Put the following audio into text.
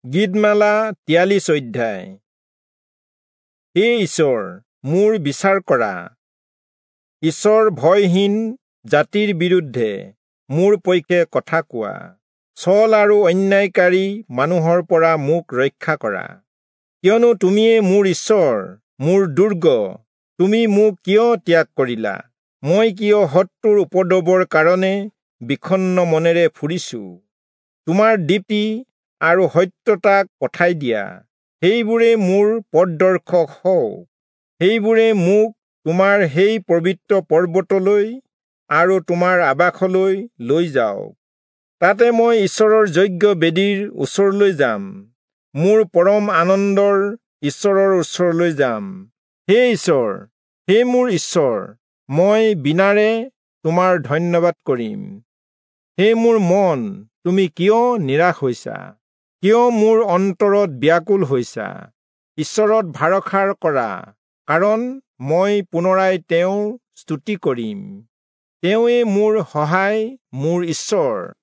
গীতমালা 43 অধ্যায়। হে ঈশ্বৰ, মোৰ বিচাৰ কৰা। ঈশ্বৰ ভয়হীন জাতিৰ বিৰুদ্ধে মোৰ পক্ষে কথা কোৱা। ছল আৰু অন্যায়কাৰী মানুহৰ পৰা মোক ৰক্ষা কৰা। কিয়নো তুমিয়ে মোৰ ঈশ্বৰ, মোৰ দুৰ্গ। তুমি মোক কিয় ত্যাগ কৰিলা? মই কিয় শত্ৰুৰ উপদ্ৰৱৰ কাৰণে বিষণ্ণ মনেৰে ফুৰিছো? তোমাৰ দীপ্তি আৰু সত্যতাক পঠাই দিয়া, সেইবোৰে মোৰ পথদৰ্শক হওক। সেইবোৰে মোক তোমাৰ সেই পবিত্ৰ পৰ্বতলৈ আৰু তোমাৰ আৱাসলৈ লৈ যাওক। তাতে মই ঈশ্বৰৰ যজ্ঞ বেদীৰ ওচৰলৈ যাম, মোৰ পৰম আনন্দৰ ঈশ্বৰৰ ওচৰলৈ যাম। হে ঈশ্বৰ, হে মোৰ ঈশ্বৰ, মই বীণাৰে তোমাৰ ধন্যবাদ কৰিম। হে মোৰ মন, তুমি কিয় নিৰাশ হৈছা? কিয় মোৰ অন্তৰত ব্যাকুল হৈছা? ঈশ্বৰত ভৰসা কৰা, কাৰণ মই পুনৰাই তেওঁৰ স্তুতি কৰিম। তেওঁৱে মোৰ সহায়, মোৰ ঈশ্বৰ।